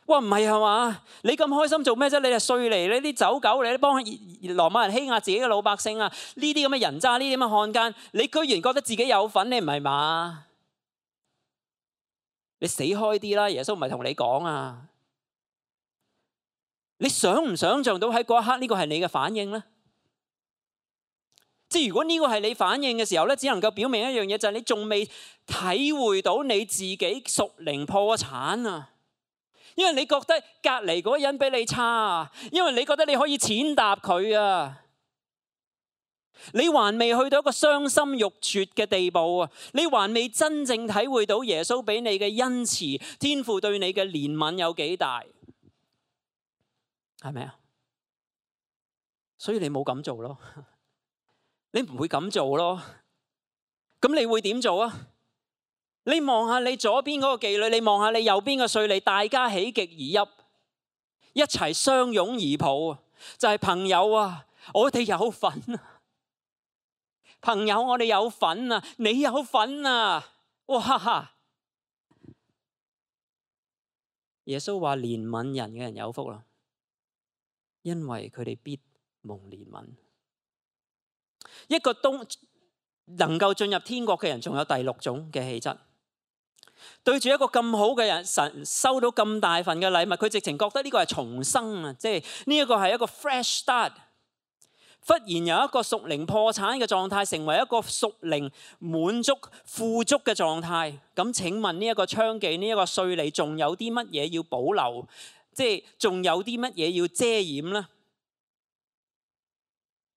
哇，唔係係嘛？你咁開心做咩啫？你係稅吏，你啲走狗，你幫羅馬人欺壓自己嘅老百姓啊！呢啲咁嘅人渣，呢啲咁嘅漢奸，你居然覺得自己有份，你唔係嘛？你死開啲啦！耶穌唔係同你講啊！你想唔想像到喺嗰一刻呢個係你嘅反應呢？即係如果呢個係你反應嘅時候咧，只能夠表明一樣嘢，就係你仲未體會到你自己屬靈破產啊！因為你覺得隔離嗰個人比你差啊，因為你覺得你可以踐踏佢啊，你還未去到一個傷心欲絕嘅地步啊，你還未真正體會到耶穌俾你嘅恩慈，天父對你嘅憐憫有幾大，係咪啊？所以你冇咁做咯。你唔會咁做咯，咁你會點做啊？你望下你左邊嗰個妓女，你望下你右邊嘅稅吏，大家喜極而泣，一齊相擁而抱，就係朋友啊！我哋有份啊，朋友，我哋有份啊，你有份啊！哇！耶穌話憐憫人嘅人有福啦，因為佢哋必蒙憐憫。一個都能夠進入天國嘅人，仲有第六種嘅氣質。對住一個咁好嘅人，神收到咁大份嘅禮物，佢直情覺得呢個係重生啊！即係呢一個係一個 fresh start。忽然由一個屬靈破產嘅狀態，成為一個屬靈滿足富足嘅狀態。咁請問呢一個娼妓，呢一個稅吏，仲有啲乜嘢要保留？即係仲有啲乜嘢要遮掩呢？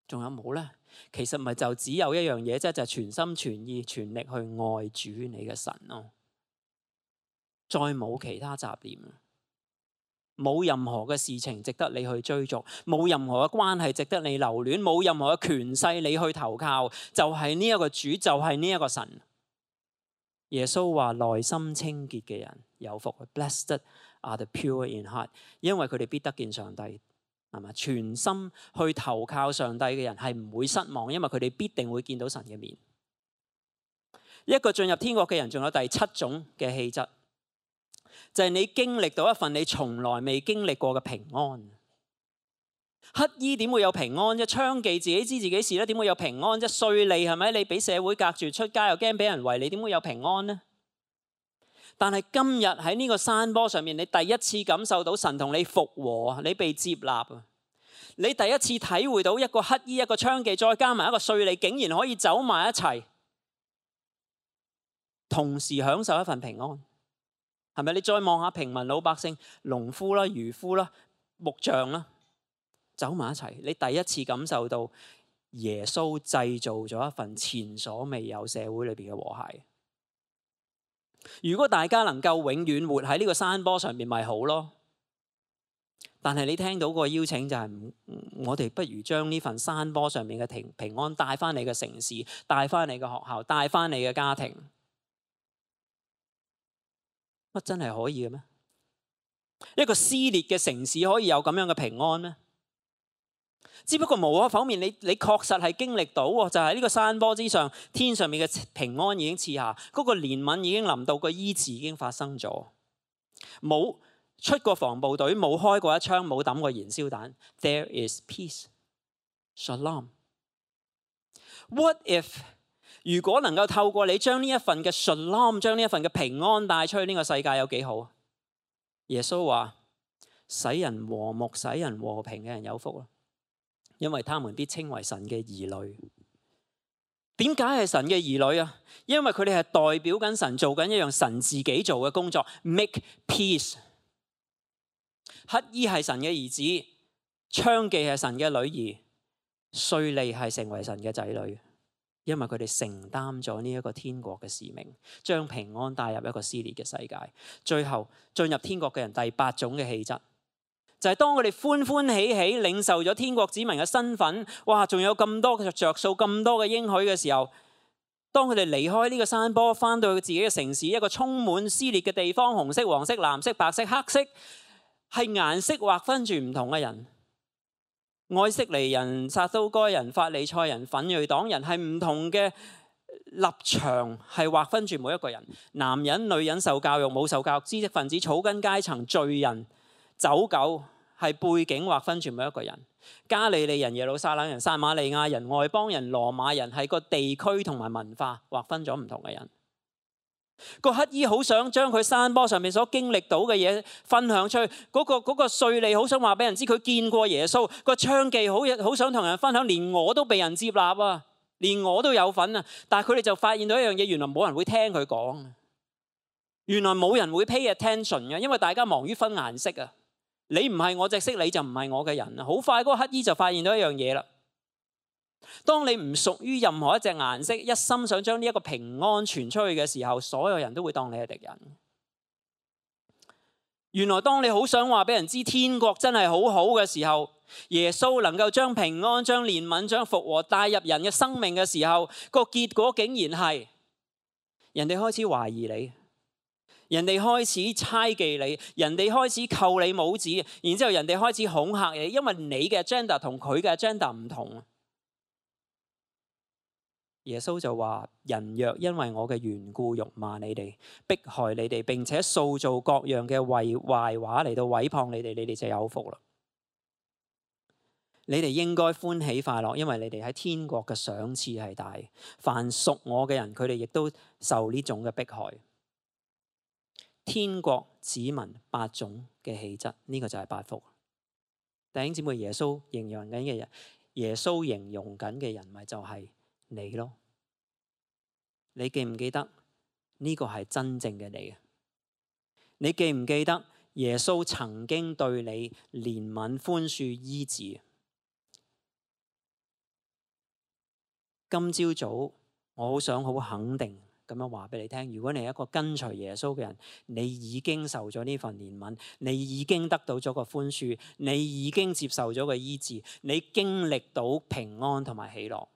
仲有冇呢？其實咪就只有一樣嘢啫，就係全心全意全力去愛主你嘅神咯，再冇其他雜念，冇任何嘅事情值得你去追逐，冇任何嘅關係值得你留戀，冇任何嘅權勢你去投靠，就係呢一個主，就係呢一個神。耶穌話內心清潔嘅人有福 ，Blessed are the pure in heart， 因為佢哋必得見上帝。係嘛？全心去投靠上帝嘅人係唔會失望，因為佢哋必定會見到神嘅面。一個進入天國嘅人，仲有第七種嘅氣質，就係你經歷到一份你從來未經歷過嘅平安。乞衣點會有平安啫？娼妓自己知自己事咧，點會有平安啫？稅吏係咪？你俾社會隔住，出街又驚俾人圍，你點會有平安呢？但係今日喺呢個山坡上面，你第一次感受到神同你復和，你被接納，你第一次體會到一個乞衣、一個娼妓，再加埋一個稅吏，竟然可以走埋一齊，同時享受一份平安，係咪？你再望下平民老百姓、農夫啦、漁夫啦、木匠啦，走埋一齊，你第一次感受到耶穌製造咗一份前所未有社會裏邊嘅和諧。如果大家能夠永遠活喺呢個山坡上面，咪好咯。但係你聽到個邀請就係，我哋不如將呢份山坡上面嘅平安帶翻你嘅城市，帶翻你嘅學校，帶翻你嘅家庭。乜真係可以嘅咩？一個撕裂嘅城市可以有咁樣嘅平安咩？只不過無可否認，你確實係經歷到，就係呢個山坡之上，天上面嘅平安已經賜下，嗰個憐憫已經臨到，個醫治已經發生咗。冇出過防暴隊，冇開過一槍，冇抌過燃燒彈。There is peace, shalom. What if 如果能夠透過你將呢一份嘅 shalom， 將呢一份嘅平安帶出去，呢個世界有幾好？耶穌話：使人和睦、使人和平嘅人有福啦，因為他們必稱為神嘅兒女。點解係神嘅兒女啊？因為佢哋係代表緊神，做緊一樣神自己做嘅工作 ，make peace。乞兒係神嘅兒子，娼妓係神嘅女兒，稅吏係成為神嘅仔女，因為佢哋承擔咗呢一個天國嘅使命，將平安帶入一個撕裂嘅世界。最後進入天國嘅人第8種嘅氣質，就係當佢哋歡歡喜喜領受咗天國子民嘅身份，哇，仲有咁多嘅着數，咁多嘅應許嘅時候，當佢哋離開呢個山坡，翻到自己嘅城市，一個充滿撕裂嘅地方，紅色、黃色、藍色、白色、黑色，係顏色劃分住唔同嘅人，愛色尼人、撒都該人、法利賽人、奮銳黨人，係唔同嘅立場，係劃分住每一個人，男人、女人、受教育、冇受教育、知識分子、草根階層、罪人、走狗，係背景劃分住每一個人。加利利人、耶路撒冷人、撒瑪利亞人、外邦人、羅馬人，係個地區同埋文化劃分咗唔同嘅人。個乞兒好想將佢山坡上面所經歷到嘅嘢分享出去，嗰個稅吏好想話俾人知佢見過耶穌，個娼妓好想同人分享，連我都被人接納啊，連我都有份啊。但係佢哋就發現到一樣嘢，原來冇人會聽佢講，原來冇人會 pay attention 嘅，因為大家忙於分顏色啊。你唔係我隻色，你就唔係我嘅人啊。好快嗰個乞兒就發現到一樣嘢啦。當你唔屬於任何一隻顏色，一心想將呢一個平安傳出去嘅時候，所有人都會當你係敵人。原來當你好想話俾人知天國真係好好嘅時候，耶穌能夠將平安、將憐憫、將復和帶入人嘅生命嘅時候，個結果竟然係人哋開始懷疑你，人哋開始猜忌你，人哋開始扣你帽子，然之後人哋開始恐嚇你，因為你嘅 agenda 同佢嘅 agenda 唔同。耶穌就話：人若因為我嘅緣故辱罵你哋、迫害你哋，並且塑造各樣嘅壞話嚟到毀謗你哋，你哋就有福啦。你哋應該歡喜快樂，因為你哋喺天國嘅賞賜係大。凡屬我嘅人，佢哋亦都受呢種嘅迫害。天國子民8種嘅氣質，呢個就係8福。弟兄姊妹，耶穌形容緊嘅人，耶穌形容緊嘅人咪就係你咯。你記唔記得呢個係真正嘅你？你記唔記得耶穌曾經對你憐憫、寬恕、醫治？今朝早我好想好肯定咁樣話俾你聽，如果你係一個跟隨耶穌嘅人，你已經受咗呢份憐憫，你已經得到咗個寬恕，你已經接受咗個醫治，你經歷到平安同埋喜樂。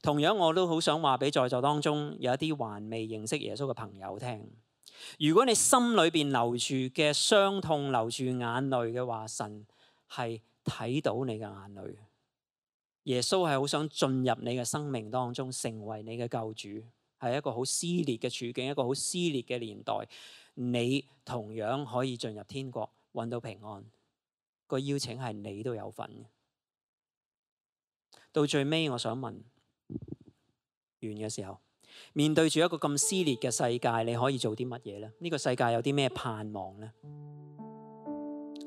同樣我都好想話俾在座當中有一啲還未認識耶穌嘅朋友聽，如果你心裏邊流住嘅傷痛、流住眼淚嘅話，神係睇到你嘅眼淚。耶穌係好想進入你嘅生命當中，成為你嘅救主。係一個好撕裂嘅處境，一個好撕裂嘅年代，你同樣可以進入天國，搵到平安。個邀請係你都有份。到最尾，我想問，完嘅時候，面對住一個咁撕裂嘅世界，你可以做啲乜嘢呢？呢個世界有啲咩盼望呢？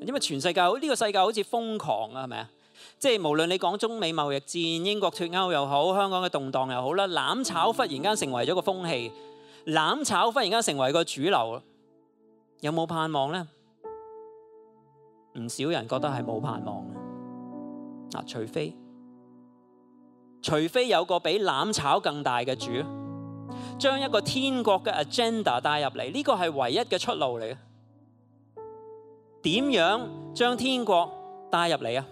因為全世界呢個世界好似瘋狂啊，係咪啊？即係無論你講中美貿易戰、英國脫歐又好，香港嘅動盪又好啦，攬炒忽然間成為咗個風氣，攬炒忽然間成為個主流，有冇盼望呢？唔少人覺得係冇盼望嘅。除非有個比攬炒更大嘅主，將一個天國嘅 agenda 帶入嚟，呢個係唯一嘅出路嚟嘅。點樣將天國帶入嚟啊？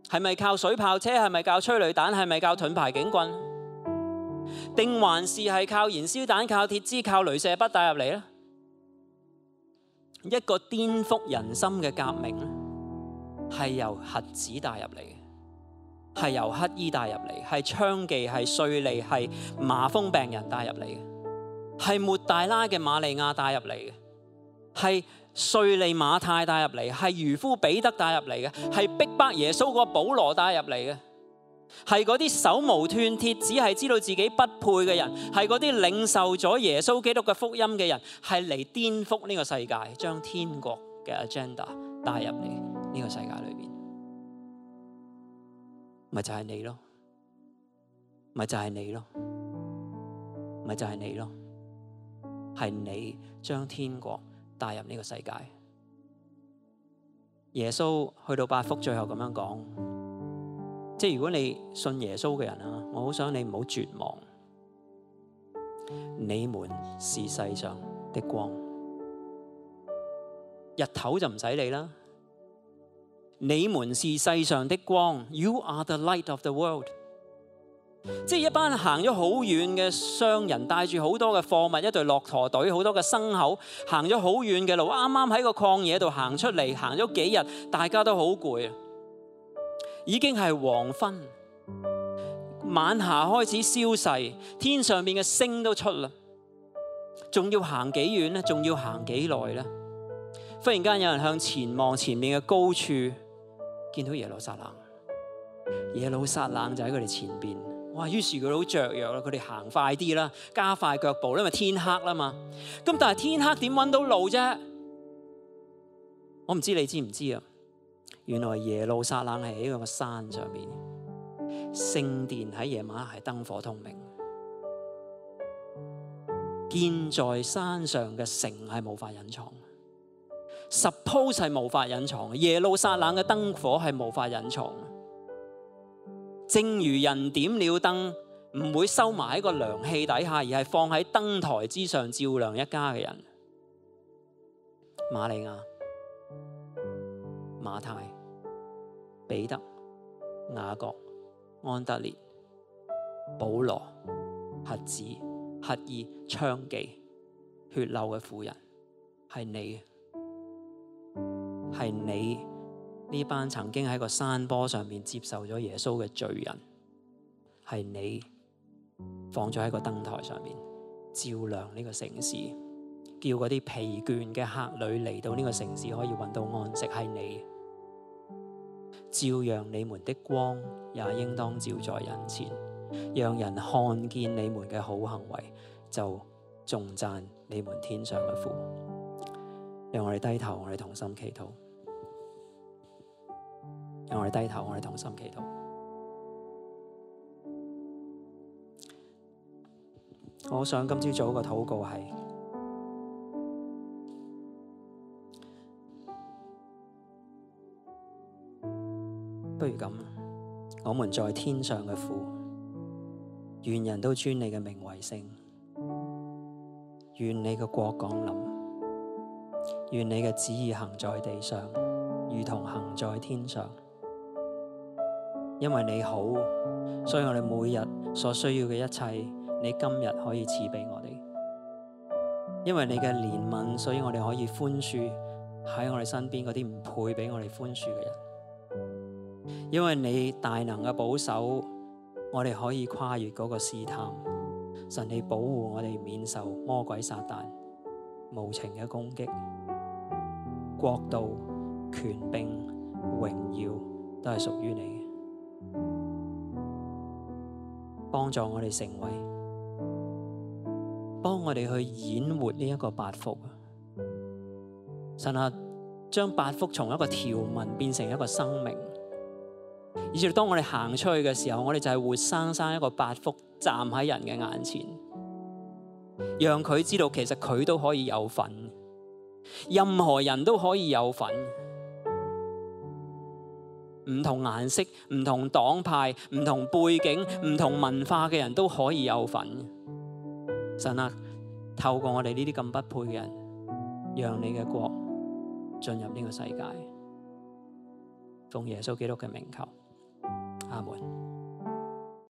係咪靠水炮車？係咪靠催淚彈？係咪靠盾牌警棍？定還是係靠燃燒彈、靠鐵枝、靠鐳射筆帶入嚟呢？一個顛覆人心嘅革命係由核子帶入嚟嘅，係由乞衣帶入嚟，係娼妓、係稅吏、係麻風病人帶入嚟嘅，係抹大拉嘅瑪利亞帶入嚟嘅，係稅吏馬太帶入嚟，係漁夫彼得帶入嚟嘅，係逼迫耶穌個保羅帶入嚟嘅，係嗰啲手無寸鐵只係知道自己不配嘅人，係嗰啲領受咗耶穌基督嘅福音嘅人，係嚟顛覆呢個世界，將天國嘅 agenda 帶入嚟呢個世界裏邊，咪就係你咯，咪就係你咯，咪就係你咯，係你將天國帶入呢個世界。耶穌去到八福最後咁樣講，即係如果你信耶穌嘅人啊，我好想你唔好絕望。你們是世上的光，日頭就唔使理啦。你們是世上的光 ，You are the light of the world。即係一班行咗好遠嘅商人，帶住好多嘅貨物，一隊駱駝隊，好多嘅牲口，行咗好遠嘅路，啱啱喺個曠野度行出嚟，行咗幾日，大家都好攰，已經係黃昏，晚霞開始消逝，天上邊嘅星都出啦，仲要行幾遠呢？仲要行幾耐呢？忽然間有人向前望，前面嘅高處見到耶路撒冷，耶路撒冷就喺佢哋前邊。哇！於是佢哋好雀躍啦，佢哋行快啲啦，加快腳步，因為天黑啦嘛。咁但係天黑點揾到路啫？我唔知你知唔知啊？原來耶路撒冷係喺個山上面，聖殿喺夜晚係燈火通明，建在山上嘅城係無法隱藏。Suppose 係無法隱藏，耶路撒冷嘅燈火係無法隱藏。正如人點了燈唔會收埋喺個涼氣底下，而係放喺燈台之上照亮一家嘅人。瑪利亞、馬太、彼得、雅各、安德烈、保羅、瞎子、乞兒、娼妓、血漏嘅婦人，係你，係你。呢班曾經喺個山坡上面接受咗耶穌嘅罪人，係你放咗喺個燈台上面照亮呢個城市，叫嗰啲疲倦嘅客旅嚟到呢個城市可以揾到安息，係你。照樣你們的光也應當照在人前，讓人看見你們嘅好行為，就頌讚你們天上嘅父。讓我哋低頭，我哋同心祈禱。讓我哋低頭，我哋同心祈禱。我想今朝早個禱告係，不如咁，我們在天上嘅父，願人都尊你嘅名為聖，願你嘅國降臨，願你嘅旨意行在地上，如同行在天上。因為你好，所以我哋每日所需要嘅一切，你今日可以賜俾我哋。因為你嘅憐憫，所以我哋可以寬恕喺我哋身邊嗰啲唔配俾我哋寬恕嘅人。因為你大能嘅保守，我哋可以跨越嗰個試探。神，你保護我哋免受魔鬼撒旦無情嘅攻擊。國度、權柄、榮耀都係屬於你嘅。幫助我哋成為，幫我哋去演活呢一個八福。神啊，將八福從一個條文變成一個生命，以至當我哋行出去嘅時候，我哋就係活生生一個八福站喺人嘅眼前，讓佢知道其實佢都可以有份，任何人都可以有份。唔同顏色、唔同黨派、唔同背景、唔同文化嘅人都可以有份。神啊，透過我哋呢啲咁不配嘅人，讓你嘅國進入呢個世界。奉耶穌基督嘅名求，阿門。